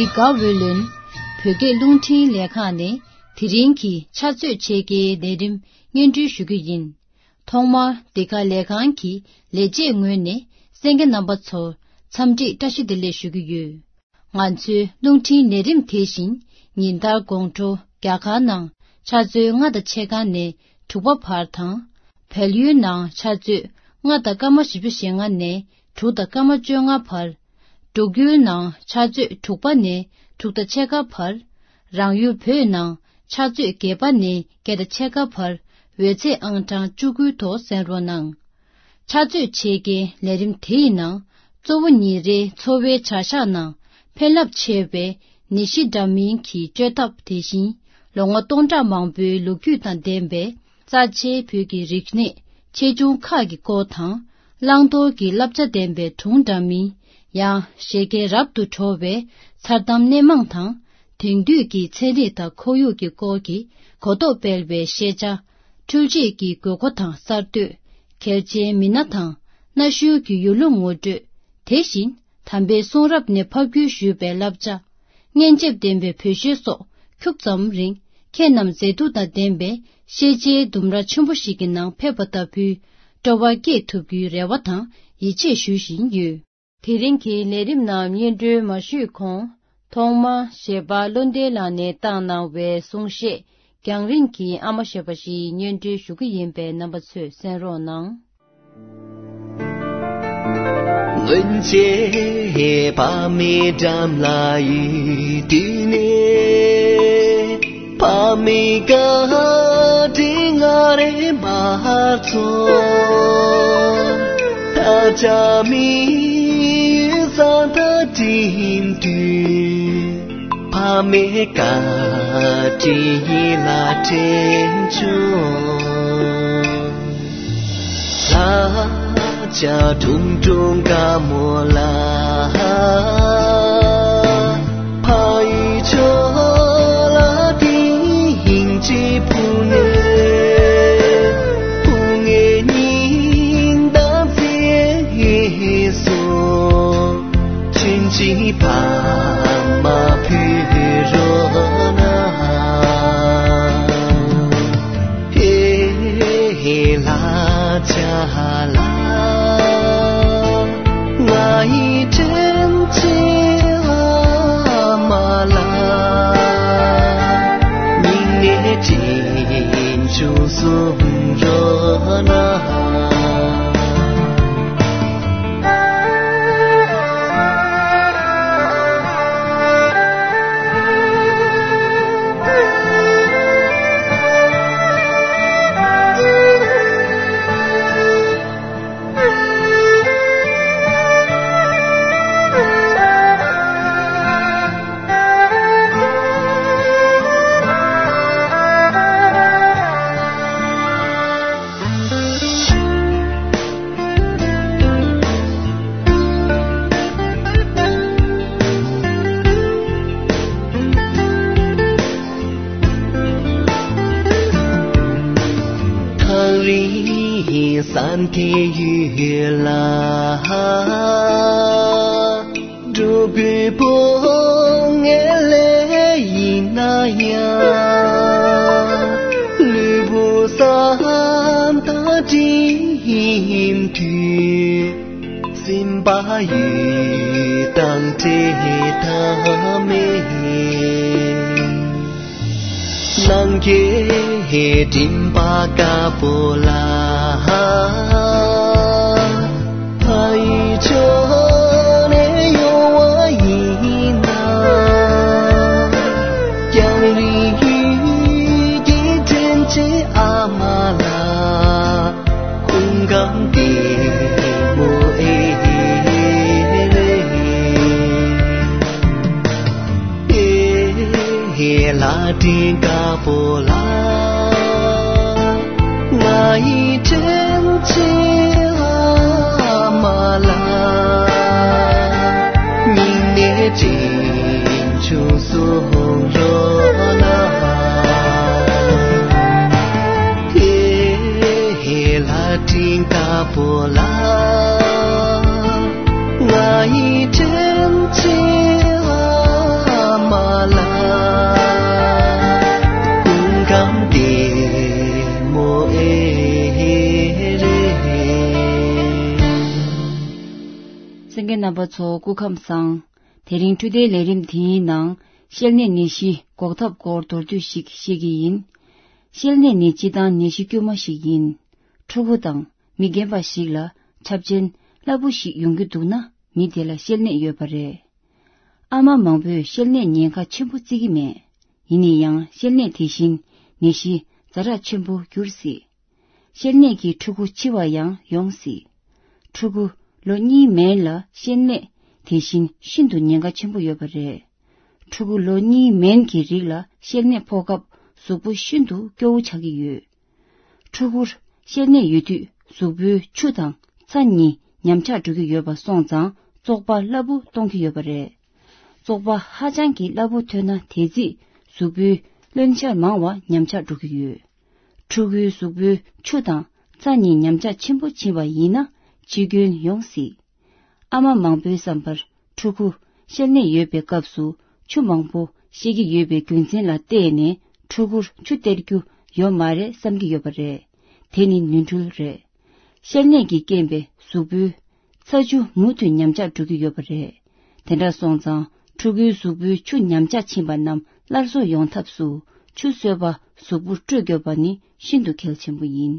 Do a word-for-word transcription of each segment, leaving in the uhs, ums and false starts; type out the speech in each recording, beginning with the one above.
དགའ་འོས་ལོན། བོད་སྐད་རླུང་འཕྲིན་ལས་ཁང་ནས་དེ་རིང་གི་ཕྱག་ཚོད་ཕྱེད་ཀའི་ལས་རིམ་སྙན་སྒྲོན་ཞུ་རྒྱུ་ཡིན། ཐོག་མར་འདི་ག་ལས་ཁང་གི་ལས་བྱེད་ངོས་ནས་གསན་མཁན་རྣམ་པ་ཚོར་འཚམས་འདྲི་བཀྲ་ཤིས་བདེ་ལེགས་ཞུ་གི་ཡོད། ང་ཚོའི་རླུང་འཕྲིན་ལས་རིམ་དེ་བཞིན་ཉིན་ལྟར་དགོང་དྲོ་རྒྱ་གར་ནང་ཆུ་ཚོད་ལྔ་དང་ཕྱེད་ཀ་ནས་དྲུག་པ་བར་དང་། བལ་ཡུལ་ནང་ཆུ་ཚོད་ལྔ་དང་སྐར་མ་བཞི་བཅུ་ཞེ་ལྔ་ནས་དྲུག་དང་སྐར་མ་བཅོ་ལྔ་བར། འབྲུག་ཡུལ་ནང་ཆུ་ཚོད་དྲུག་པ་ནས་དྲུག་དང་ཕྱེད་ཀ་བར། རང་ཡུལ་བོད་ནང་ཆུ་ཚོད་བརྒྱད་པ་ནས་བརྒྱད་དང་ཕྱེད་ཀ་བར་འོད་ཚད་ཨང་གྲངས་བཅུ་དགུའི་ཐོག་གསན་རོགས་གནང་། ཕྱག་ཚོད་ཕྱེད་ཀའི་ལས་རིམ་དེའི་ནང་གཙོ་བོ་ཉིན་རེའི་འཚོ་བའི་བྱ་གཞག་ནང་ཕན་རླབས་ཆེ་བའི་ནད་གཞི་འདྲ་མིན་གྱི་བཅོས་ཐབས། དེ་བཞིན་ལོ་ངོ་སྟོང་ཕྲག་མང་པོའི་ལོ་རྒྱུས་དང་ལྡན་པའི་རྩ་ཆེའི་བོད་ཀྱི་རིག་གནས་ཆེ་ཆུང་ཁག་གི་སྐོར་དང་། བླང་དོར་གྱི་བསླབ་བྱ་ལྡན་པའི་སྒྲུང་འདྲ་མིན། ཡང་བཞད་གད་རབ་ཏུ་བྲོ་བའི་མཚར་གཏམ་སྣེ་མང་དང་། དེང་དུས་ཀྱི་ཚན་རིག་དང་ཁོར་ཡུག་གི་སྐོར་གྱི་གོ་རྟོགས་སྤེལ་བའི་ཤེས་བྱ། འཕྲུལ་ཆས་ཀྱི་དགོས་མཁོ་དང་གསར་གཏོད། གལ་ཆེའི་མི་སྣ་དང་གནའ་ཤུལ་གྱི་ཡུལ་ལུང་ངོ་སྤྲོད། དེ་བཞིན་དམ་པའི་གསུང་རབ་ནས་ཕབ་བསྒྱུར་ཞུས་པའི་བསླབ་བྱ། སྙན་འཇེབས་ལྡན་པའི་བོད་གཞས་སོགས་ཁྱུག་ཙམ་རིང་ཁྱེད་རྣམས་མཛེས་སྡུག་དང་ལྡན་པའི་ཤེས་བྱའི་ལྡུམ་ར་ཆེན་པོ་ཞིག་གི་ནང་ཕེབས་པ་ལྟ་བུའི་སྤྲོ་བ་སྐྱེས་ཐུབ་རྒྱུའི་རེ་བ་དང་ཡིད་ཆེས་ཞུ་བཞིན་ཡོད། དེ་རིང་གི་ལས་རིམ་རྣམས་སྙན་སྒྲོན་མ་ཞུས་གོང་། ཐོག་མར་གཞས་པ་བློ་ལྡན་ལགས་ནས་བཏང་གནང་བའི་གསུང་བཤད། རྒྱང་རིང་གི་ཨ་མ་ཞེས་པ་ཞིག་སྙན་སྒྲོན་ཞུ་གི་ཡིན་པས། རྣམ་པ་ཚོས་གསན་རོགས་གནང་། སྔོན་ཆད་ཕ་མའི་འགྲམ་ལ་ཡོད་དུས་ནས། ཕ་མའི་བཀའ་དྲིན་ང་རེ་མ་ཚོར། ད་ཆ་མི་ཡུལ་ས་མཐའ་འགྲིམ་དུས། ཕ་མའི་བཀའ་དྲིན་ཡིད་ལ་དྲན་བྱུང་། ལྷ་བྱ་ཁྲུང་ཁྲུང་དགའ་མོ་ལ། ཕ་ཡུལ་ཕྱོགས་ལ་དེ་ཡིན་གཅིག་ཕུ་ནས། ཕུ་ངའི་སྙིང་གཏམ་ཚེ་སོ། ཆུན་ཆེན་ཕ་མ་ཕུལ་རོགས་གནང་། ཧེ་ཧེ་ལྷ་བྱ་ལ། ང་ཡི་དྲིན་ཆེ་ཨ་མ་ལ། སྙིང་ནས་དྲིན་ཆུང་གསུང་རོགས་གནང་། ཐག་རིང་ས་མཐའི་ཡུལ་ལ། འགྲོ་དགོས་པོ་ངེས་ལེ་ཡིན་ན་ཡང་། ལུས་པོ་ས་མཐའ་འགྲིམ་དུས། སེམས་པ་ཡུལ་དང་བྲལ་ཐབས་མེད། ནམ་མཁའི་སྤྲིན་པ་དཀར་པོ་ལ། ཕ་ཡུལ་ཕྱོགས་ནས་ཡོང་བ་ཡིན་ན། རྒྱང་རིང་ཡུལ་གྱི་དྲིན་ཆེ་ཨ་མ་ལགས། སྐུ་ཁམས་བདེ་མོ་ཨེ་རེད། ཨེ་ལྷ་སྤྲིན་དཀར་པོ་ལ། ང་ཡི་དྲིན་ཆེ་ཨ་མ་ལགས། སྙིང་ནས་དྲིན་ཆུང་གསུང་རོགས་གནང་། ཧེ་ཧེ་ལྷ་སྤྲིན་དཀར་པོ་ལ། ང་ཡི་དྲིན་ཆེ་ཨ་ རྣམ་པ་ཚོ་སྐུ་ཁམས་བཟང་། དེ་རིང་འཕྲོད་བསྟེན་ལས་རིམ་དེའི་ནང་བཤལ་ནད་ནད་གཞི་འགོག་ཐབས་སྐོར་མདོར་བསྡུས་ཤིག་བཤད་ཀྱི་ཡིན། བཤལ་ནད་ནི་སྤྱིར་བཏང་ནད་གཞི་དཀྱུས་མ་ཞིག་ཡིན། ཕྲུ་གུ་དང་མི་རྒན་པ་ཞིག་ལ་ཆབ་ཆེན་སླ་པོ་ཞིག་ཡོང་གི་འདུག་ན་མི་དེ་ལ་བཤལ་ནད་ཡོད་པ་རེད། ཨ་མ་མང་པོས་བཤལ་ནད་ཉེན་ཁ་ཆེན་པོ་བརྩི་གི་མེད། ཡིན་ན་ཡང་བཤལ་ནད་དེ་བཞིན་ནད་གཞི་ཛ་དྲག་ཆེན་པོ་འགྱུར་སྲིད། བཤལ་ནད་ཀྱིས་ཕྲུ་གུ་འཆི་བ་ཡང་ཡོང་སྲིད། ཕྲུ་གུ་ལོ་གཉིས་མན་ལ་བཤལ་ནད་དེ་བཞིན་ཤིན་ཏུ་ཉེན་ཁ་ཆེན་པོ་ཡོད་པ་རེད། ཕྲུ་གུ་ལོ་གཉིས་མན་གྱི་རིགས་ལ་བཤལ་ནད་ཕོག་སྐབས་གཟུགས་པོ་ཤིན་ཏུ་སྐྱོ་བོ་ཆགས་ཀྱི་ཡོད། ཕྲུ་གུར་བཤལ་ནད་ཡོད་དུས་གཟུགས་པོའི་ཆུ་དང་ཚྭ་གཉིས་ཉམས་ཆག་འགྲོ་གི་ཡོད་པ་སོང་ཙང་བཙོག་པ་སླ་པོ་གཏོང་གི་ཡོད་པ་རེད། བཙོག་པ་ཧ་ཅང་གི་སླ་པོ་ཐོན་ན་དེ་རྩིས་གཟུགས་པོའི་རློན་གཤེར་མང་བ་ཉམས་ཆག་འགྲོ་གི་ཡོད། ཕྲུ་གུའི་གཟུགས་པོའི་ཆུ་དང་ཚྭ་གཉིས་ཉམས་ཆག་ཆེན་པོ་ཕྱིན་པ་ཡིན་ན་འཆི་སྐྱོན་ཡོང་སྲིད། ཨ་མ་མང་པོའི་བསམ་པར་ཕྲུ་གུ་བཤལ་ནད་ཡོད་པའི་སྐབས་སུ་ཆུ་མང་པོ་བཤལ་གྱི་ཡོད་པའི་རྒྱུ་མཚན་ལ་བལྟས་ནས་ཕྲུ་གུར་ཆུ་སྟེར་རྒྱུ་ཡོད་མ་རེད་བསམ་གྱི་ཡོད་པ་རེད། དེ་ནི་ནོར་འཁྲུལ་རེད། བཤལ་ནད་ཀྱི་རྐྱེན་པས་གཟུགས་པོའི་ཚྭ་ཆུ་མུ་མཐུད་ཉམས་ཆག་འགྲོ་གི་ཡོད་པ་རེད། དེ་འདྲ་སོང་ཙང་ཕྲུ་གུའི་གཟུགས་པོའི་ཆུ་ཉམས་ཆག་ཕྱིན་པ་རྣམས་སླར་གསོ་ཡོང་ཐབས་སུ་ཆུ་གསོལ་བ་གཟུགས་པོར་སྤྲོད་དགོས་པ་ནི་ཤིན་ཏུ་གལ་ཆེན་པོ་ཡིན།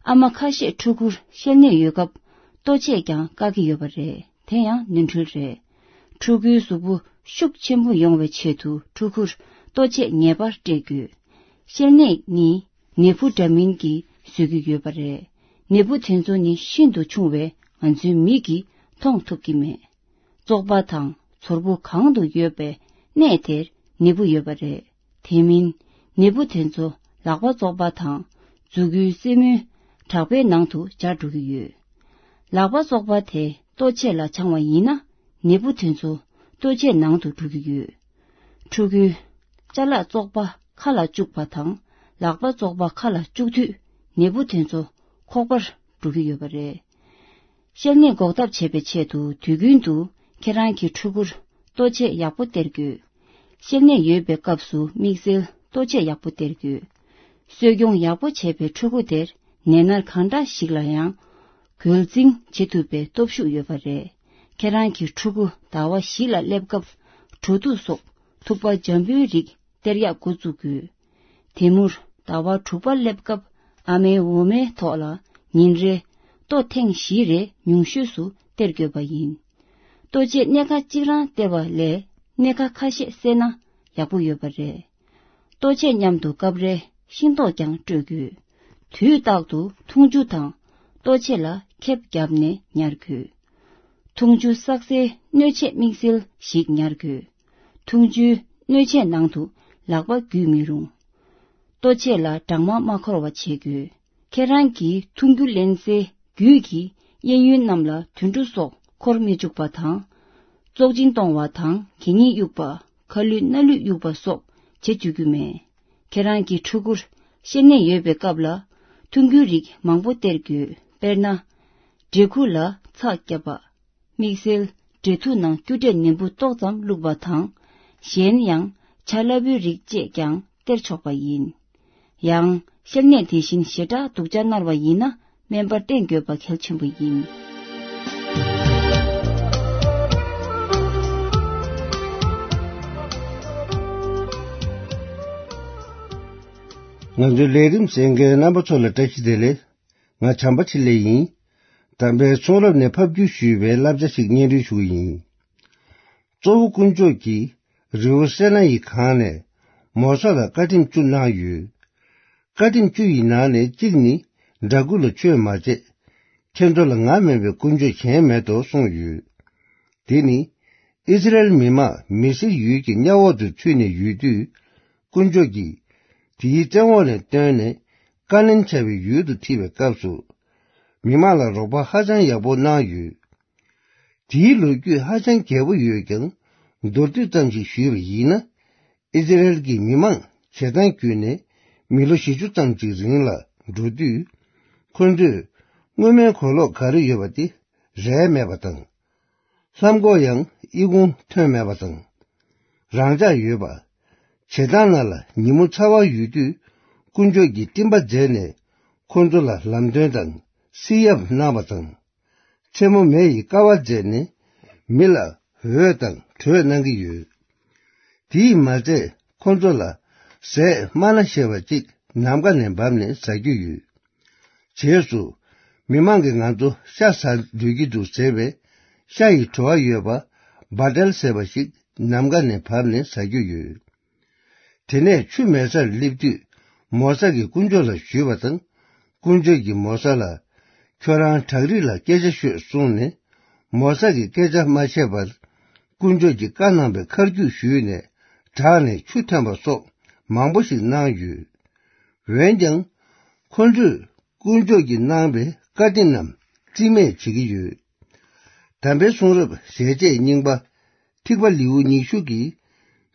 ཨ་མ་ཁ་ཤས་ཕྲུ་གུར་བཤལ་ནད་ཡོད་སྐབས་ལྟོ་ཆས་ཀྱང་བཀག་གི་ཡོད་པ་རེད། དེ་ཡང་ནོར་འཁྲུལ་རེད། ཕྲུ་གུའི་གཟུགས་པོ་ཤུགས་ཆེན་པོ་ཡོང་བའི་ཆེད་དུ་ཕྲུ་གུར་ལྟོ་ཆས་ངེས་པར་སྤྲད་དགོས། བཤལ་ནད་ནི་ནད་འབུ་འདྲ་མིན་གྱིས་བཟོས་ཀྱི་ཡོད་པ་རེད། ནད་འབུ་དེ་ཚོ་ནི་ཤིན་ཏུ་ཆུང་བས་ང་ཚོའི་མིག་གིས་མཐོང་ཐུབ་ཀྱི་མེད། བཙོག་པ་དང་ཚོར་བུ་གང་དུ་ཡོད་པའི་གནས་དེར་ནད་འབུ་ཡོད་པ་རེད། དེ་མིན་ནད་འབུ་དེ་ཚོ་ལག་པ་བཙོག་པ་དང་མཛུ་གུའི་རྩེ་མོའི་བྲག་པའི་ནང་དུ་འབྱར་འགྲོ་གི་ཡོད། ལག་པ་བཙོག་པ་དེ་ལྟོ་ཆས་ལ་འཆང་བ་ཡིན་ན་ནད་འབུ་དེ་ཚོ་ལྟོ་ཆས་ནང་དུ་འགྲོ་གི་ཡོད། ཕྲུ་གུའི་ཅ་ལག་བཙོག་པ་ཁ་ལ་བཅུག་པ་དང་ལག་པ་བཙོག་པ་ཁ་ལ་བཅུག་དུས་ནད་འབུ་དེ་ཚོ་ཁོག་པར་འགྲོ་གི་ཡོད་པ་རེད། བཤལ་ནད་འགོག་ཐབས་བྱེད་པའི་ཆེད་དུ་དུས་རྒྱུན་དུ་ཁྱེད་རང་གི་ཕྲུ་གུར་ལྟོ་ཆས་ཡག་པོ་སྟེར་དགོས། བཤལ་ནད་ཡོད་པའི་སྐབས་སུ་དམིགས་བསལ་ལྟོ་ཆས་ཡག་པོ་སྟེར་དགོས། གསོ་སྐྱོང་ཡག་པོ་བྱས་པའི་ཕྲུ་གུ་དེར་ནད་མནར་གང་འདྲ་ཞིག་ལ་ཡང་འགོས་འཛིན་བྱེད་ཐུབ་པའི་སྟོབས་ཤུགས་ཡོད་པ་རེད། ཁྱེད་རང་གི་ཕྲུ་གུ་ཟླ་བ་བཞི་ལ་སླེབས་སྐབས་གྲོ་ཐུག་སོགས་ཐུག་པ་འཇམ་པོའི་རིགས་སྟེར་ཡག་འགོ་བཙུགས་དགོས། དེ་མུར་ཟླ་བ་དྲུག་པ་སླེབས་སྐབས་ཨ་མའི་འོ་མའི་ཐོག་ལ་ཉིན་རེ་ལྟོ་ཐེངས་བཞི་རེ་ཉུང་ཤོས་སུ་སྟེར་དགོས་པ་ཡིན། ལྟོ་ཆས་སྣེ་ཁ་གཅིག་རང་སྟེར་བ་ལས་སྣེ་ཁ་ཁ་ཤས་བསྲེས་ན་ཡག་པོ་ཡོད་པ་རེད། ལྟོ་ཆས་མཉམ་དུ་སྐབས་རེ་ཤིང་ཏོག་ཀྱང་སྤྲོད་དགོས། དུས་རྟག་ཏུ་འཐུང་ཆུ་དང་ལྟོ་ཆས་ལ་ཁེབས་བརྒྱབ་ནས་ཉར་དགོས། འཐུང་ཆུ་བསགས་སའི་སྣོད་ཆས་དམིགས་བསལ་ཞིག་ཉར་དགོས། འཐུང་ཆུའི་སྣོད་ཆས་ནང་དུ་ལག་པ་འགུལ་མི་རུང་། ལྟོ་ཆས་ལ་སྦྲང་མ་མ་འཁོར་བ་བྱེད་དགོས། ཁྱེད་རང་གིས་འཐུང་རྒྱུ་ལེན་སའི་རྒྱུད་ཀྱི་གཡས་གཡོན་རྣམས་ལ་དུད་འགྲོ་སོགས་འཁོར་མི་བཅུག་པ་དང་། བཙོག་གཅིན་གཏོང་བ་དང་གད་སྙིགས་གཡུག་པ། ཁ་ལུད་སྣ་ལུད་གཡུག་པ་སོགས་བྱེད་བཅུག་རྒྱུ་མེད། ཁྱེད་རང་གི་ཕྲུ་གུར་བཤལ་ནད་ཡོད་པའི་སྐབས་ལ་འཐུང་རྒྱུའི་རིགས་མང་པོ་སྟེར་དགོས། དཔེར་ན། འབྲས་ཁུ་ལ་ཚྭ་བརྒྱབ་པ། དམིགས་བསལ་འབྲས་ཐུག་ནང་སྐྱུར་འབྲས་ནས་འབུ་ཏོག་ཙམ་བླུགས་པ་དང་། གཞན་ཡང་ཇ་སླ་པོའི་རིགས་བཅས་ཀྱང་སྟེར་ཆོག་པ་ཡིན། ཡང་བཤལ་ནད་དེ་བཞིན་ཞེ་དྲག་སྡུག་ཅག་མནར་བ་ཡིན་ན་སྨན་པར་བསྟེན་དགོས་པ་གལ་ཆེན་པོ་ཡིན། ང་ཚོའི་ལས་རིམ་གསན་མཁན་རྣམ་པ་ཚོ་ལ་བཀྲ་ཤིས་བདེ་ལེགས། ང་བྱམས་པ་ཆེ་ལེགས་ཡིན། དམ་པའི་གསུང་རབ་ནས་ཕབ་བསྒྱུར་ཞུས་པའི་བསླབ་བྱ་ཞིག་སྙན་སྒྲོན་ཞུ་གི་ཡིན། གཙོ་བོ་དཀོན་མཆོག་གིས་རི་བོ་སེ་ན་ཡི་གངས་ནས་མོ་ས་ལ་བཀའ་ཁྲིམས་བཅུ་གནང་ཡོད། བཀའ་ཁྲིམས་བཅུ་ཡི་ནང་ནས་གཅིག་ནི། འདྲ་སྐུ་ལ་ཆོས་མ་བྱེད། ཁྱེད་ཚོ་ལ་ང་མིན་པའི་དཀོན་མཆོག་གཞན་མེད་དོ་གསུངས་ཡོད། དེ་ནི། ཨི་སི་རེལ་མི་མང་མི་སེར་ཡུལ་གྱི་གཉའ་འོག་ཏུ་ཚུད་ནས་ཡོད་དུས། དཀོན་མཆོག་གིས། དེའི་བཙན་འོག་ནས་བཏོན་ནས། ཀ་ནན་བྱ་བའི་ཡུལ་དུ་ཁྲིད་པའི་སྐབས་སུ། མི་མང་ལ་རོགས་པ་ཧ་ཅང་ཡག་པོ་གནང་ཡོད། དེའི་ལོ་རྒྱུས་ཧ་ཅང་རྒྱས་པོ་ཡོད་ཀྱང་། མདོར་བསྡུས་ཙམ་ཞིག་ཞུས་པ་ཡིན་ན། ཨི་སི་རེལ་གྱི་མི་མང་བྱེ་ཐང་བརྒྱུད་ནས་མི་ལོ་བཞི་བཅུ་ཙམ་ཅིག་རིང་ལ་འགྲོ་དུས། ཁོ་ཚོས་སྔོན་མའི་གོས་ལོག་ག་རེ་ཡོད་པ་དེ་རལ་མེད་པ་དང་། ལྷམ་གོག་ཡང་ཨི་ཁུང་ཐོན་མེད་པ་དང་། རང་འཇགས་ཡོད་པ། བྱེ་ཐང་ནང་ལ་ཉིན་མོ་ཚ་བ་ཡོད་དུས། དཀོན་མཆོག་གིས་སྤྲིན་པ་མཛད་ནས་ཁོ་ཚོ་ལ་ལམ་སྟོན་དང་བསིལ་ཡབ་གནང་བ་དང་། མཚན་མོ་མེ་ཡིས་ཀ་བ་མཛད་ནས་ མི་ལ་འོས་དང་གྲོས་གནང་གི་ཡོད། དེས་མ་ཚད་ཁོ་ཚོ་ལ་ཟས་མ་ན་ཞེས་པ་གཅིག་ནམ་མཁའ་ནས་བབས་ནས་ཟ་རྒྱུ་ཡོད། རྗེས་སུ་མི་མང་གིས་ང་ཚོ་ཤ་ཟ་འདོད་ཀྱི་འདུག་ཟེར་བས་ཤ་ཡི་བྲོ་བ་ཡོད་པ་བ་ཏལ་ཟེར་བ་ཞིག་ནམ་མཁའ་ནས་བབས་ནས་ཟ་རྒྱུ་ཡོད། དེ་ནས་ཆུ་མེད་སར་སླེབས་དུས་མོ་ས་གིས་དཀོན་མཆོག་ལ་ཞུས་པ་དང་། དཀོན་མཆོག་གིས་མོ་ས་ལ། ཁྱོད་རང་བྲག་རི་ལ་སྐད་ཆ་ཤོད་གསུངས་ནས། མོ་ས་གིས་སྐད་ཆ་མ་བཤད་པར། དཀོན་མཆོག་གིས་བཀའ་གནང་བའི་མཁར་རྒྱུག་ཞུས་ནས་བྲག་ནས་ཆུ་ཐོན་པ་སོགས་མང་པོ་ཞིག་གནང་ཡོད། འོན་ཀྱང་། ཁོ་ཚོས་དཀོན་མཆོག་གིས་གནང་བའི་བཀའ་དྲིན་རྣམས་རྩིས་མེད་བྱེད་ཀྱི་ཡོད། དམ་པའི་གསུང་རབ་ཞལ་ཆད་རྙིང་པ། ཐིགས་པ་ལེའུ་ཉི་ཤུ་གི་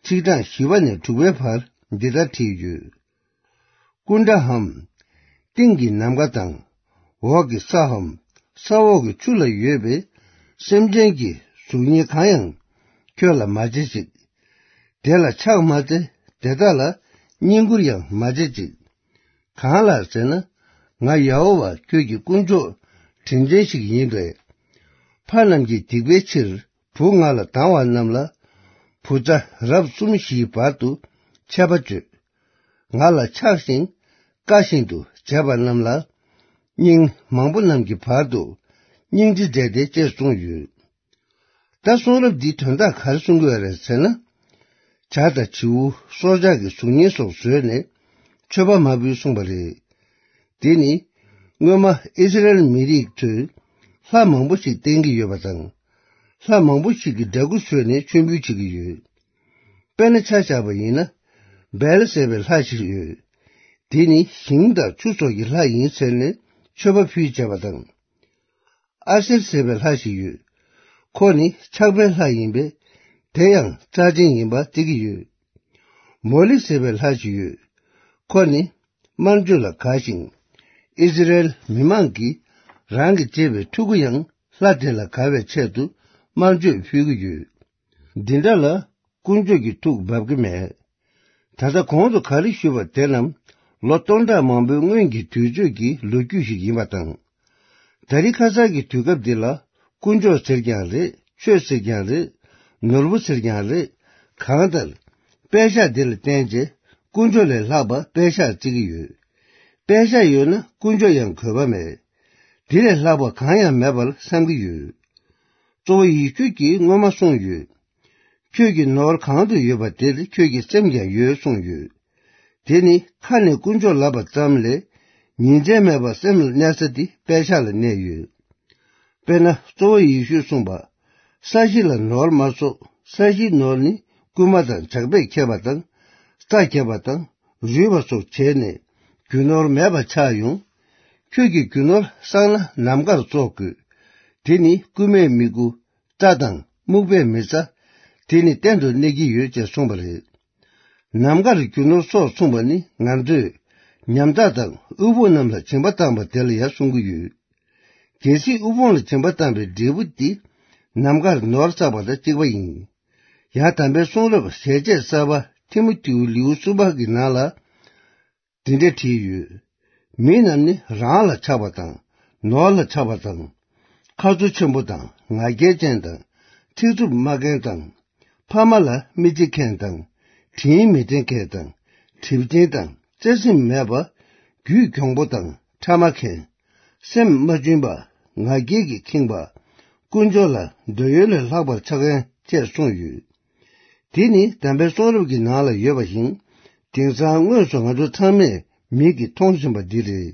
ཚིག་གྲངས་བཞི་པ་ནས་དྲུག་པའི་བར་འདི་ལྟར་བྲིས་ཡོད། ཀུན་དགའ་འམ། སྟེང་གི་ནམ་མཁའ་དང་། འོག་གི་ས་འམ། ས་འོག་གི་ཆུ་ལ་ཡོད་པའི་སེམས་ཅན་གྱི་གཟུགས་བརྙན་གང་ཡང་ཁྱོད་ལ་མ་བྱེད་ཅིག། དེ་ལ་ཕྱག་མ་འཚལ། དེ་དག་ལ་བསྙེན་བཀུར་ཡང་མ་བྱེད་ཅིག། གང་ལགས་ཟེར་ན། ང་ཡ་ཧོ་ཝཱ་ཁྱོད་ཀྱི་དཀོན་མཆོག་དྲིན་ཅན་ཞིག་ཡིན་པས། ཕ་རྣམས་ཀྱི་སྡིག་པའི་ཕྱིར་བུ་ང་ལ་སྡང་བ་རྣམས་ལ། བུ་ཚ་རབས་གསུམ་བཞིའི་བར་དུ་ཆད་པ་གཅོད། ང་ལ་ཆགས་ཤིང་དཀའ་བཞིན་དུ་བྱས་པ་རྣམས་ལ། སྙིང་མང་པོ་རྣམས་ཀྱི་བར་དུ་སྙིང་རྗེ་མཛད་དེ་ཅེས་གསུངས་ཡོད། ད་གསུང་རབ་འདིའི་དོན་དག་ག་རེ་གསུང་གི་ཡོད་རེད་ཟེར་ན། བྱ་དང་བྱིའུ་སྲོག་ཆགས་ཀྱི་གཟུགས་བརྙན་སོགས་བཟོས་ནས་མཆོད་པ་མ་ཕུལ་གསུངས་པ་རེད། དེ་ནི་སྔོན་མ་ཨི་སི་རེལ་མི་རིགས་ཚོས་ལྷ་མང་པོ་ཞིག་བསྟེན་གྱི་ཡོད་པ་དང་། ལྷ་མང་པོ་ཞིག་གི་འདྲ་སྐུ་བཟོས་ནས་མཆོད་འབུལ་བྱེད་ཀྱི་ཡོད། དཔེར་ན་ཆ་བཞག་པ་ཡིན་ན། བེལ་ཟེར་བའི་ལྷ་ཞིག་ཡོད། དེ་ནི་ཞིང་དང་ཆུ་སོགས་ཀྱི་ལྷ་ཡིན་ཟེར་ནས་མཆོད་པ་ཕུལ་བྱས་པ་དང་། ཨ་སེར་ཟེར་བའི་ལྷ་ཞིག་ཡོད། ཁོ་ནི་ཆགས་པའི་ལྷ་ཡིན་པས། དེ་ཡང་རྩ་ཆེན་ཡིན་པ་བརྩི་གི་ཡོད། མོ་ལི་ཟེར་བའི་ལྷ་ཞིག་ཡོད། ཁོ་ནི་དམར་མཆོད་ལ་དགའ་ཞིང་། ཨི་སི་རེལ་མི་མང་གིས་རང་གིས་བྱས་པའི་ཕྲུ་གུ་ཡང་ལྷ་དེ་ལ་དགའ་བའི་ཆེད་དུ་དམར་མཆོད་ཕུལ་གྱི་ཡོད། འདི་འདྲ་ལ་དཀོན་མཆོག་གི་ཐུགས་འབབ་ཀྱི་མེད། ད་ལྟ་གོང་དུ་ག་རེ་ཞུས་པ་དེ་རྣམས་ལོ་སྟོང་ཕྲག་མང་པོའི་སྔོན་གྱི་དུས་ཚོད་ཀྱི་ལོ་རྒྱུས་ཤིག་ཡིན་པ་དང་། ད་རེས་ཁ་སང་གི་དུས་སྐབས་འདི་ལ་དཀོན་མཆོག་ཟེར་ཀྱང་རེད། ཆོས་ཟེར་ཀྱང་རེད། ནོར་བུ་ཟེར་ཀྱང་རེད། གང་ལྟར། པད་ཤག་འདི་ལ་བརྟེན་བྱས་དཀོན་མཆོག་ལས་ལྷག་པ་པད་ཤག་བརྩི་གི་ཡོད། པད་ཤག་ཡོད་ན་དཀོན་མཆོག་ཡང་དགོས་པ་མེད། འདི་ལས་ལྷག་པ་གང་ཡང་མེད་པར་བསམ་གྱི་ཡོད། གཙོ་བོ་ཡེ་ཤུ་གིས་སྔོན་མ་གསུངས་ཡོད། ཁྱོད་ཀྱི་ནོར་གང་དུ་ཡོད་པ་དེར་ཁྱོད་ཀྱི་སེམས་ཀྱང་ཡོད་གསུངས་ཡོད། དེ་ནི་ཁ་ནས་དཀོན་མཆོག་ལབ་པ་ཙམ་ལས་ཉིན་མཚན་མེད་པར་སེམས་ལ་གནས་ས་དེ་པད་ཤག་ལ་གནས་ཡོད། དཔེར་ན་གཙོ་བོ་ཡེ་ཤུས་གསུངས་པ། ས་གཞི་ལ་ནོར་མ་བཙུགས། ས་གཞིའི་ནོར་ནི་རྐུན་མ་དང་ཇག་པས་ཁྱེར་བ་དང་། རྩྭ་བརྒྱབ་པ་དང་རུལ་བ་སོགས་བྱས་ནས་རྒྱུ་ནོར་མེད་པ་ཆགས་ཡོང་། ཁྱོད་ཀྱི་རྒྱུ་ནོར་བསགས་ན་ནམ་མཁར་བཙོག་དགོས། དེ་ནི་རྐུན་མས་མི་རྐུ། རྩྭ་དང་སྨུག་པས་མི་ཟ། དེ་ནི་གཏན་དུ་གནས་ཀྱི་ཡོད་ཅེས་གསུངས་པ་རེད། ནམ་མཁར་རྒྱུ་ནོར་སོགས་གསུངས་པ་ནི་ང་ཚོས་ཉམ་ཐག་དང་དབུལ་ཕོངས་རྣམས་ལ་སྦྱིན་པ་བཏང་བ་དེ་ལ་ཡང་གསུང་གི་ཡོད། གལ་སྲིད་དབུལ་ཕོངས་ལ་སྦྱིན་པ་བཏང་བའི་འབྲས་བུ་དེ་ནམ་མཁར་ནོར་བསགས་པ་དང་གཅིག་པ་ཡིན། ཡང་དམ་པའི་གསུང་རབ་ཞལ་ཆད་གསར་པ་ཐི་མོ་ཐེའུ་ལེའུ་གསུམ་པ་གི་ནང་ལ། འདི་འདྲ་བྲིས་ཡོད། མི་རྣམས་ནི་རང་ལ་ཆགས་པ་དང་། ནོར་ལ་ཆགས་པ་དང་། ཁ་ཚུར་ཆེན་པོ་དང་ང་རྒྱལ་ཅན་དང་། ཚིག་རྩུབ་སྨྲ་མཁན་དང་། ཕ་མ་ལ་མི་བརྩི་མཁན་དང་། དྲིན་མི་དྲན་མཁན་དང་། གྲིབ་ཅན་དང་བརྩེ་སེམས་མེད་པ། རྒྱུད་གྱོང་པོ་དང་ཕྲ་མ་མཁན། སེམས་མ་བཅུན་པ། ང་རྒྱལ་གྱིས་ཁེངས་པ། དཀོན་མཆོག་ལ་འདོད་ཡོན་ལས་ལྷག་པར་ཆགས་མཁན་བཅས་གསུངས་ཡོད། དེ་ནི་དམ་པའི་གསུང་རབ་ཀྱི་ནང་ལ་ཡོད་པ་བཞིན། དེང་སང་དངོས་སུ་ང་ཚོ་ཚང་མས་མིག་གིས་མཐོང་བཞིན་པ་འདི་རེད།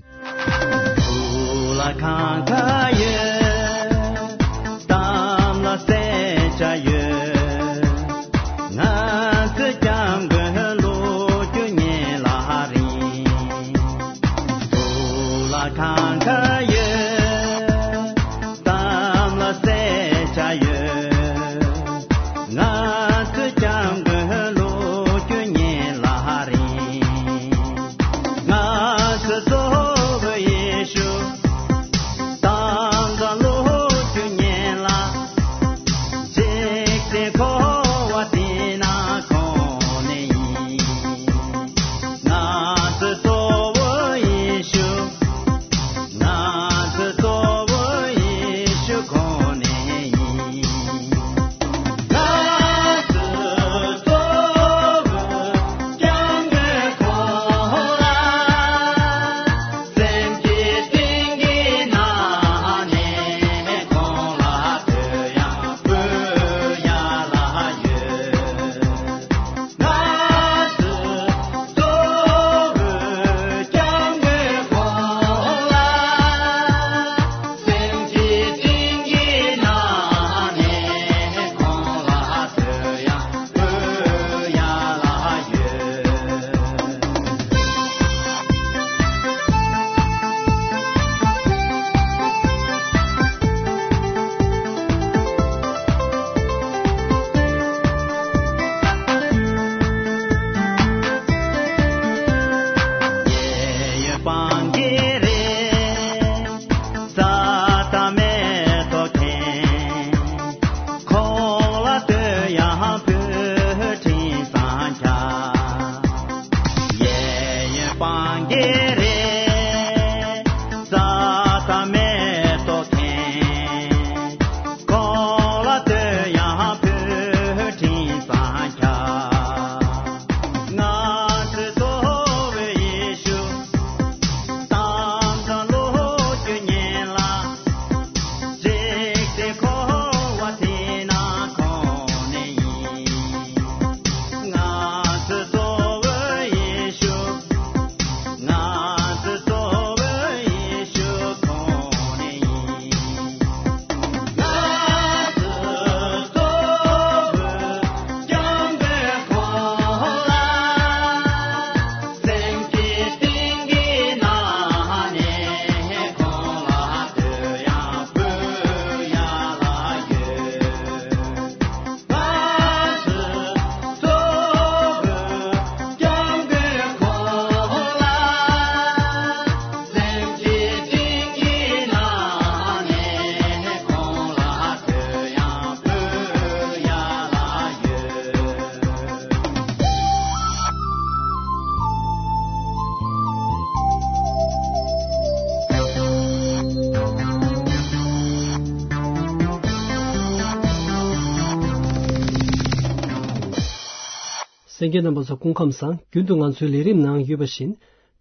གསན་མཁན་རྣམ་པ་ཚོ་སྐུ་ཁམས་བཟང་། རྒྱུན་དུ་ང་ཚོའི་ལས་རིམ་ནང་ཡོད་པ་བཞིན།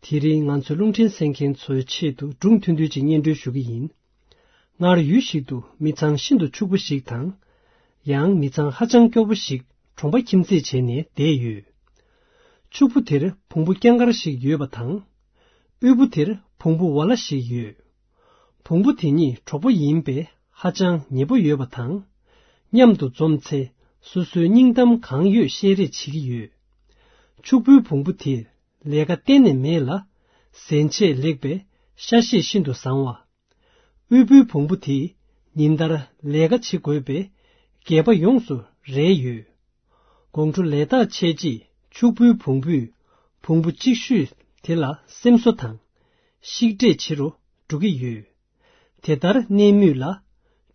དེ་རིང་ང་ཚོའི་རླུང་འཕྲིན་གསན་མཁན་ཚོའི་ཆེད་དུ་སྒྲུང་ཐུང་ཐུང་ཅིག་སྙན་སྒྲོན་ཞུ་གི་ཡིན། སྔར་ཡུལ་ཞིག་ཏུ་མི་ཚང་ཤིན་ཏུ་ཕྱུག་པོ་ཞིག་དང་། ཡང་མི་ཚང་ཧ་ཅང་སྐྱོ་པོ་ཞིག་གྲོང་པ་ཁྱིམ་མཚེས་བྱས་ནས་བསྡད་ཡོད། ཕྱུག་པོ་དེར་བོང་བུ་རྐྱང་དཀར་ཞིག་ཡོད་པ་དང་། དབུལ་པོ་དེར་བོང་བུ་ཝ་ལ་ཞིག་ཡོད། བོང་བུ་དེ་གཉིས་གྲོགས་པོ་ཡིན་པས་ཧ་ཅང་ཉེ་པོ་ཡོད་པ་དང་། མཉམ་དུ་འཛོམས་ཚེ་སོ་སོའི་སྙིང་གཏམ་གང་ཡོད་བཤད་རེས་བྱེད་ཀྱི་ཡོད། ཕྱུག་པོའི་བོང་བུ་དེར་ལས་ཀ་གཏན་ནས་མེད་ལ། གཟན་ཆས་ལེགས་པས་ཤ་ཤེད་ཤིན་ཏུ་བཟང་བ། དབུལ་པོའི་བོང་བུ་དེས་ཉིན་ལྟར་ལས་ཀ་བྱེད་དགོས་པས་སྒལ་པ་ཡོངས་སུ་རལ་ཡོད། དགོང་དྲོ་ལས་ཐག་ཆད་རྗེས་ཕྱུག་པོའི་བོང་བུས་བོང་བུ་གཅིག་ཤོས་དེ་ལ་སེམས་གསོ་དང་། ཤིག་འབྲས་བྱེད་རུ་འགྲོ་གི་ཡོད། དེ་ལྟར་གནས་མུས་ལ།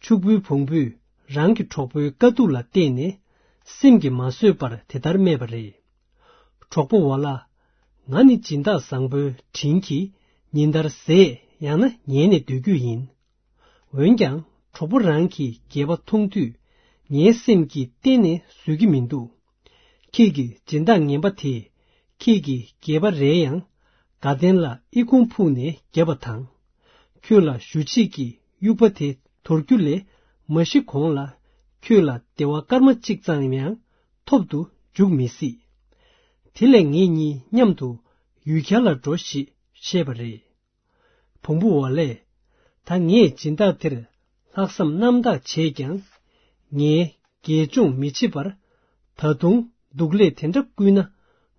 ཕྱུག་པོའི་བོང་བུས་རང་གི་གྲོགས་པོའི་དཀའ་སྡུག་ལ་བལྟས་ནས། སེམས་ཀྱིས་མ་བཟོད་པར་དེ་ལྟར་སྨྲས་པ་རེད། གྲོགས་པོ་ཝ་ལ། ང་ནི་སྦྱིན་བདག་བཟང་པོའི་དྲིན་གྱིས་ཉིན་ལྟར་ཟས་ཡང་ན་ཉལ་ནས་སྡོད་རྒྱུ་ཡིན། འོན་ཀྱང་གྲོགས་པོ་རང་གི་སྒལ་པ་མཐོང་དུས། ངའི་སེམས་ཀྱིས་གཏན་ནས་བཟོད་ཀྱི་མི་འདུག་ཁྱེད་ཀྱི་སྦྱིན་བདག་ངན་པ་དེས་ཁྱེད་ཀྱི་སྒལ་པ་རལ་ཡང་། དགའ་ལྡན་ལ་ཨི་ཁུང་ཕུག་ནས་བརྒྱབ་པ་དང་། ཁྱོད་ལ་ཞུ་ཆེད་ཀྱི་དབྱུག་པ་དེ་དོར་རྒྱུ་ལས་མ་ཤི་གོང་ལ། ཁྱོད་ལ་བདེ་བ་སྐར་མ་གཅིག་ཙམ་ཡང་ཐོབ་ཏུ་འཇུག་མི་སྲིད། དེ་ལས་ངེད་གཉིས་མཉམ་དུ་ཡུལ་གྱར་ལ་འགྲོ་ཞེས་བཤད་པ་རེད། བོང་བུ་ཝ་ལས། ད་ངས་སྦྱིན་བདག་དེར་ལྷག་བསམ་རྣམ་དག་བྱས་ཀྱང་། ངའི་དགེ་སྦྱོང་མི་བྱེད་པར། ད་དུང་སྡུག་ལས་དེ་འདྲ་བསྐུལ་ན།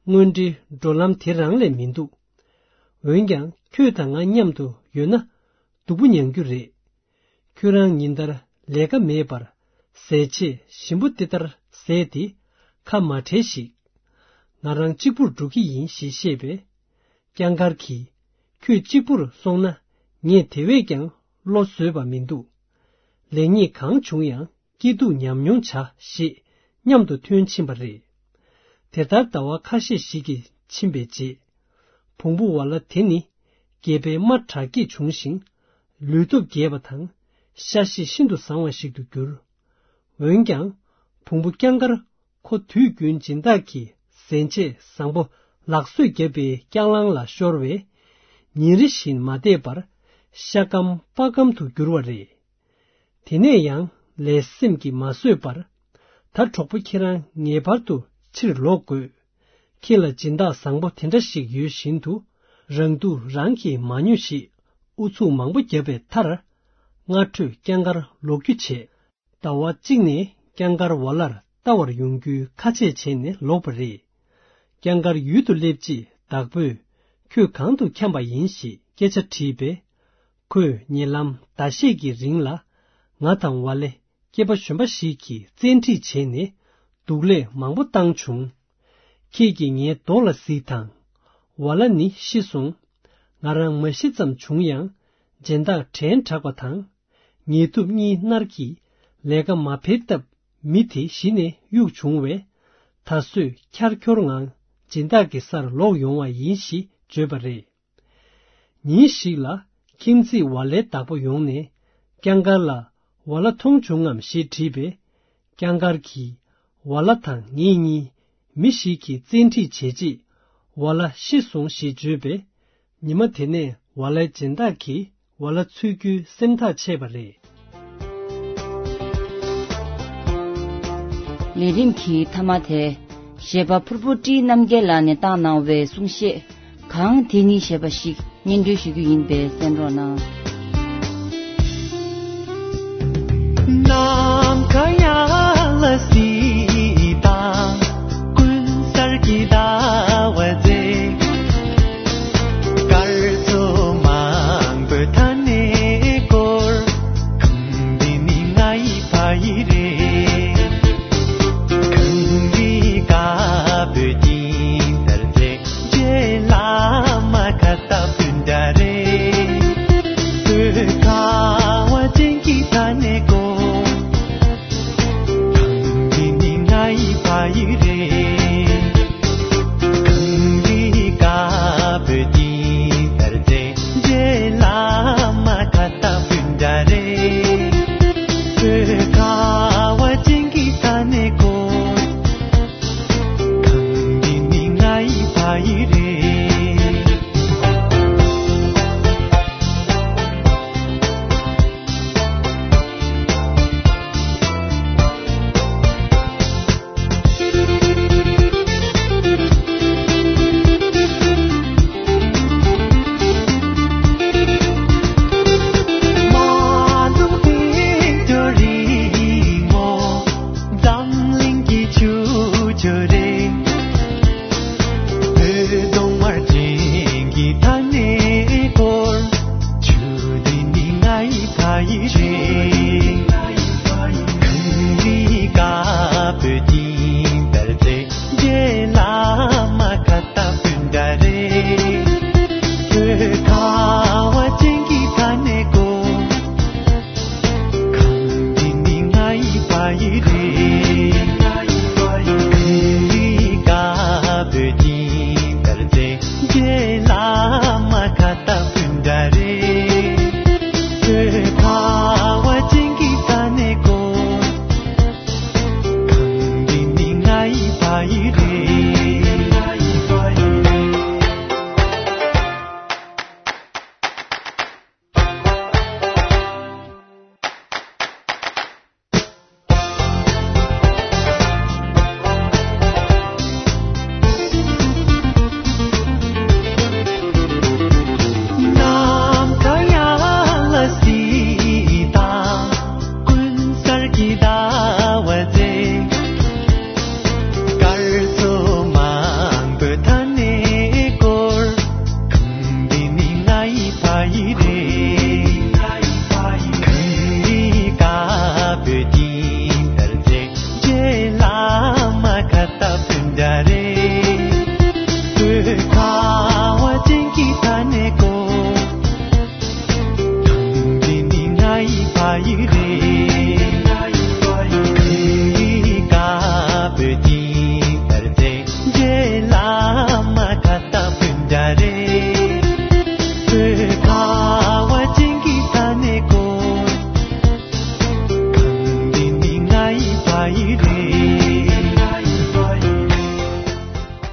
དངོས་འབྲེལ་འགྲོ་ལམ་དེ་རང་ལས་མི་འདུག་འོན་ཀྱང་ཁྱོད་དང་ང་མཉམ་དུ་ཡོད་ན། སྡུག་པོ་མྱང་རྒྱུ་རེད། ཁྱོད་རང་ཉིན་ལྟར་ལས་ཀ་མེད་པར། ཟས་ཆས་ཞིམ་པོ་དེ་ལྟར་ཟས་ཏེ་ཁ་མ་བྲལ་ཞིག་ང་རང་གཅིག་པུར་འགྲོ་གི་ཡིན་ཞེས་བཤད་པས། རྐྱང་དཀར་གྱིས། ཁྱོད་གཅིག་པུར་སོང་ན་ངས་དེ་བས་ཀྱང་བློ་བཟོད་པ་མི་འདུག་ལེགས་ཉེས་གང་བྱུང་ཡང་སྐྱིད་སྡུག་མཉམ་མྱོང་བྱ་ཞེས་མཉམ་དུ་ཐོན་ཕྱིན་པ་རེད། དེ་ལྟར་ཟླ་བ་ཁ་ཤས་ཤིག་གིས་ཕྱིན་པའི་རྗེས། བོང་བུ་ཝ་ལ་དེ་ནི་སྒལ་པའི་རྨ་དྲག་སྐྱེད་བྱུང་ཞིང་། ལུས་སྟོབས་རྒྱས་པ་དང་ཤ་ཤེད་ཤིན་ཏུ་བཟང་བ་ཞིག་ཏུ་གྱུར། འོན་ཀྱང་། བོང་བུ་རྐྱང་དཀར་ཁོ་དུས་རྒྱུན་སྦྱིན་བདག་གིས་གཟན་ཆས་བཟང་པོ་ལག་བཟོས་བརྒྱབ་པའི་རྐྱང་ལང་ལ་ཤོར་བས། ཉིན་རེ་བཞིན་མ་བསྡད་པར་ཤ་སྐམ་པགས་སྐམ་དུ་གྱུར་བ་རེད། དེ་ནས་ཡང་ལས་སེམས་ཀྱིས་མ་བཟོད་པར། ད་གྲོགས་པོ་ཁྱེད་རང་ངེས་པར་དུ་ཕྱིར་ལོག་དགོས། ཁྱེད་ལ་སྦྱིན་བདག་བཟང་པོ་དེ་འདྲ་ཞིག་ཡོད་བཞིན་དུ། རང་སྡུག་རང་གིས་མ་མྱོང་ཞེས་ཨུ་ཚུགས་མང་པོ་བརྒྱབ་པའི་མཐར། སྔ་དྲོས་རྐྱང་དཀར་ལོག་རྒྱུ་བྱས། ཟླ་བ་གཅིག་ནས་རྐྱང་དཀར་ཝ་ལར་ལྟ་བར་ཡོང་རྒྱུའི་ཁ་ཆད་བྱས་ནས་ལོག་པ་རེད། རྐྱང་དཀར་ཡུལ་དུ་སླེབས་རྗེས་བདག་པོས་ཁྱོད་གང་དུ་འཁྱམས་པ་ཡིན་ཞེས་སྐད་ཆ་དྲིས་པས། ཁོས་ཉེ་ལམ་ཟླ་ཤས་ཀྱི་རིང་ལ་ང་དང་ཝ་ལེ་སྐྱེས་པ་གཞོན་པ་ཞིག་གིས་བཙན་ཁྲིད་བྱས་ནས་སྡུག་ལས་མང་པོ་བཏང་བྱུང་། ཁྱེད་ཀྱིས་ངའི་རྡོག་ལ་གཟིགས་དང་། ཝ་ལ་ནི་ཤི་སོང་། ང་རང་མ་ཤི་ཙམ་བྱུང་ཡང་སྦྱིན་བདག་དྲན་དྲགས་པ་དང་། ཉེ་དུབ་གཉིས་མནར་གྱིས་ལས་ཀ་མ་འཕེལ་སྟབས་མི་དེ་གཞི་ནས་གཡུག་བྱུང་བས། ད་གཟོད་འཁྱར་འཁྱོར་ངང་སྦྱིན་བདག་གི་སར་ལོག་ཡོང་བ་ཡིན་ཞེས་བརྗོད་པ་རེད། ཉིན་ཞིག་ལ་ཁྱིམ་མཚེས་ཝ་ལའི་བདག་པོ་ཡོང་ནས་རྐྱང་དཀར་ལ་ཝ་ལ་མཐོང་བྱུང་ངམ་ཞེས་དྲིས་པས། རྐྱང་དཀར་གྱིས་ཝ་ལ་དང་ངེད་གཉིས་མི་ཞིག་གིས་བཙན་ཁྲིད་བྱས་རྗེས་ཝ་ལ་ཤི་སོང་ཞེས་བརྗོད་པས། ཉི་མ་དེ་ནས་ཝ་ལའི་སྦྱིན་བདག་གིས་ཝ་ལ་འཚོལ་རྒྱུའི་སེམས་ཐག་བཅད་པ་རེད། ལས་རིམ་གྱི་མཐའ་མ་དེ། གཞས་པ་ཕུར་བུ་བཀྲིས་རྣམ་རྒྱལ་ལགས་ནས་བཏང་གནང་བའི་གསུང་བཤད། གང་དེ་ནི་ཞེས་པ་ཞིག་སྙན་སྒྲོན་ཞུ་རྒྱུ་ཡིན་པས་གསན་རོགས་གནང་། ནམ་མཁའ་ཡར་ལ་གཟིགས་དང་། ཀུན་གསལ་གྱི་ཟླ་བ་མཛེས། སྐར་ཚོགས་མང་པོས་མཐའ་ནས་བསྐོར། གངས་འདི་ནི་ང་ཡི་ཕ་ཡུལ་རེད། གངས་རིའི་དཀར་པོའི་སྤྲིན་ལྟར་མཛེས། རྗེ་བླ་མ་ཁ་ཏ་པུན་དྲ་རེད།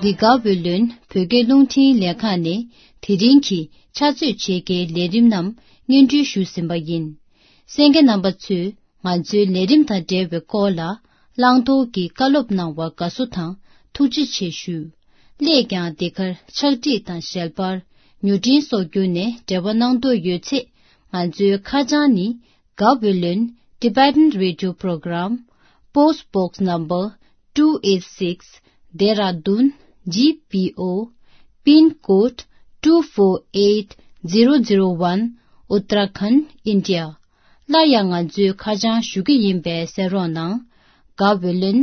འདི་ག་བོད་ལུན་བོད་སྐད་རླུང་འཕྲིན་ལས་ཁང་ནས་དེ་རིང་གི་ཕྱག་ཚོད་ཕྱེད་ཀའི་ལས་རིམ་རྣམས་སྙན་སྒྲོན་ཞུས་ཟིན་པ་ཡིན། གསན་མཁན་རྣམ་པ་ཚོས་ང་ཚོའི་ལས་རིམ་དང་འབྲེལ་བའི་སྐོར་ལ་བླང་དོར་གྱི་བཀའ་སློབ་གནང་བར་དགའ་བསུ་དང་ཐུགས་རྗེ་ཆེ་ཞུ། སླད་ཀྱང་འདི་གར་ཕྱག་བྲིས་དང་ཞལ་པར་མྱུར་འཕྲིན་སོགས་བརྒྱུད་ནས་འབྲེལ་བ་གནང་འདོད་ཡོད་ཚེ་ང་ཚོའི་ཁ་བྱང་ནི། Gaweylon Tibetan Radio Program, Post Box Number two eight six, Dehradun G P O, Pin Code two four eight zero zero one, Uttarakhand, India. སླར་ཡང་ང་ཚོའི་ཁ་བྱང་ཞུ་གི་ཡིན་པས་གསན་རོགས་གནང་། Gaweylon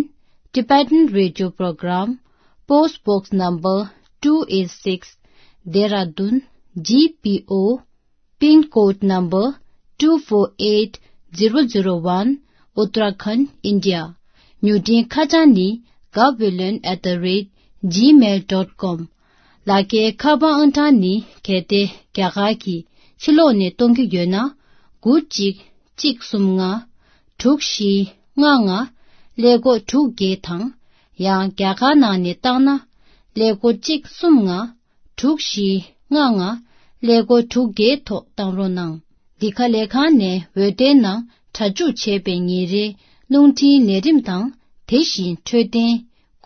Tibetan Radio Program, Post Box Number two eight six, Dehradun G P O, Pin Code Number two four eight zero zero one, Uttarakhand, India. མྱུར་འཕྲིན་ཁ་བྱང་ནི་gaweylon at the rate gmail dot com། ལག་འཁྱེར་ཁ་པར་ཨང་གྲངས་ནི་གལ་ཏེ་རྒྱ་གར་གྱི་ཕྱི་ལོགས་ནས་གཏོང་གི་ཡོད་ན། དགུ་གཅིག་གཅིག་གསུམ་ལྔ། དྲུག་བཞི་ལྔ་ལྔ། ཀླད་ཀོར་དྲུག་བརྒྱད་དང་། ཡང་རྒྱ་གར་ནང་ནས་བཏང་ན། ཀླད་ཀོར་གཅིག་གསུམ་ལྔ། དྲུག་བཞི་ལྔ་ལྔ། ཀླད་ཀོར་དྲུག་བརྒྱད་ཐོག་བཏང་རོགས་གནང་། འདི་ག་ལས་ཁང་ནས་འོད་སྡེར་ནང་སྒྲ་འཇུག་བྱས་པའི་ཉིན་རེའི་རླུང་འཕྲིན་ལས་རིམ་དང་། དེ་བཞིན་འཕྲོད་བསྟེན།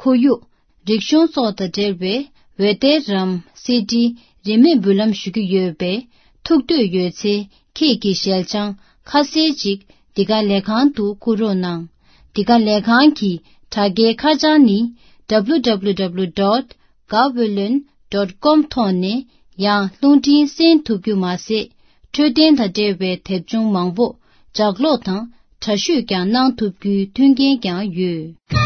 ཁོར་ཡུག་རིག་གཞུང་སོགས་དང་འབྲེལ་བའི་འོད་སྡེར་རམ་སི་ཌི་རིན་མེད་འབུལ་ལམ་ཞུ་གི་ཡོད་པས། ཐུགས་འདོད་ཡོད་ཚེ་ཁྱེད་ཀྱི་ཞལ་བྱང་ཁ་གསལ་ཅིག་འདི་ག་ལས་ཁང་དུ་བསྐུར་རོགས་གནང་། འདི་ག་ལས་ཁང་གི་དྲ་རྒྱའི་ཁ་བྱང་ནི། W W W dot gaweylon dot com ཐོག་ནས་ཡང་རླུང་འཕྲིན་གསན་ཐུབ་རྒྱུ་མ་ཟད། འཕྲོད་བསྟེན་དང་འབྲེལ་བའི་དེབ་ཆུང་མང་པོ་ལྗགས་ཀློག་དང་འདྲ་བཤུས་ཀྱང་གནང་ཐུབ་རྒྱུའི་མཐུན་རྐྱེན་ཀྱང་ཡོད།